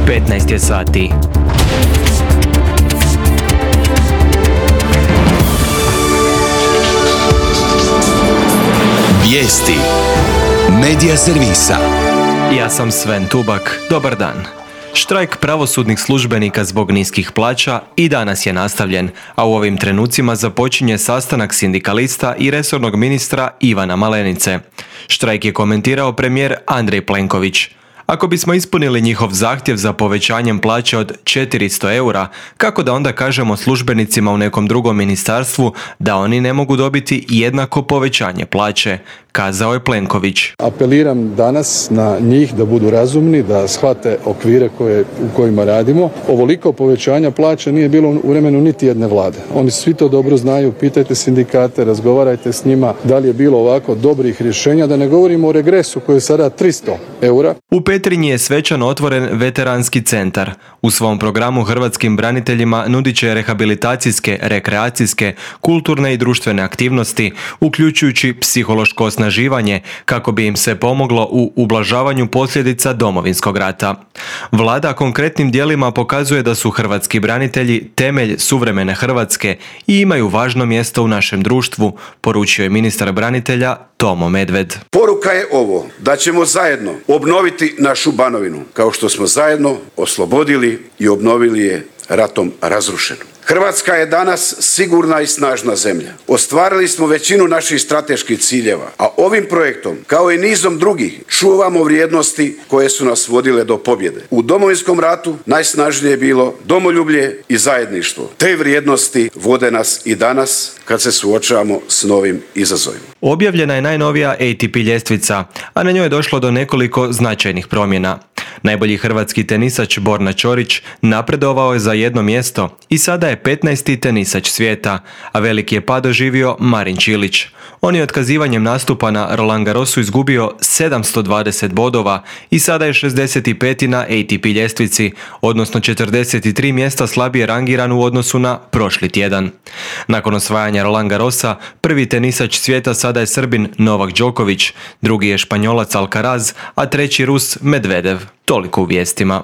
15 je sati. Vijesti Medija servisa. Ja sam Sven Tubak. Dobar dan. Štrajk pravosudnih službenika zbog niskih plaća i danas je nastavljen, a u ovim trenucima započinje sastanak sindikalista i resornog ministra Ivana Malenice. Štrajk je komentirao premijer Andrej Plenković. Ako bismo ispunili njihov zahtjev za povećanjem plaće od 400 eura, kako da onda kažemo službenicima u nekom drugom ministarstvu da oni ne mogu dobiti jednako povećanje plaće, kazao je Plenković. Apeliram danas na njih da budu razumni, da shvate okvire u kojima radimo. Ovoliko povećanja plaća nije bilo u vremenu niti jedne vlade. Oni svi to dobro znaju, pitajte sindikate, razgovarajte s njima da li je bilo ovako dobrih rješenja, da ne govorimo o regresu koji je sada 300 eura. U Petrinji je svečano otvoren veteranski centar. U svom programu hrvatskim braniteljima nudit će rehabilitacijske, rekreacijske, kulturne i društvene aktivnosti, uključujući psihološko osnaživanje kako bi im se pomoglo u ublažavanju posljedica Domovinskog rata. Vlada konkretnim djelima pokazuje da su hrvatski branitelji temelj suvremene Hrvatske i imaju važno mjesto u našem društvu, poručio je ministar branitelja Tomo Medved. Poruka je ovo, da ćemo zajedno obnoviti našu Banovinu, kao što smo zajedno oslobodili i obnovili je ratom razrušenu. Hrvatska je danas sigurna i snažna zemlja. Ostvarili smo većinu naših strateških ciljeva, a ovim projektom, kao i nizom drugih, čuvamo vrijednosti koje su nas vodile do pobjede. U Domovinskom ratu najsnažnije je bilo domoljublje i zajedništvo. Te vrijednosti vode nas i danas kad se suočavamo s novim izazovima. Objavljena je najnovija ATP ljestvica, a na njoj je došlo do nekoliko značajnih promjena. Najbolji hrvatski tenisač Borna Ćorić napredovao je za jedno mjesto i sada je 15. tenisač svijeta, a veliki je pad doživio Marin Čilić. On je otkazivanjem nastupa na Roland Garrosu izgubio 720 bodova i sada je 65. na ATP ljestvici, odnosno 43 mjesta slabije rangiran u odnosu na prošli tjedan. Nakon osvajanja Roland Garrosa, prvi tenisač svijeta sada je Srbin Novak Đoković, drugi je Španjolac Alcaraz, a treći Rus Medvedev. Toliko u vijestima.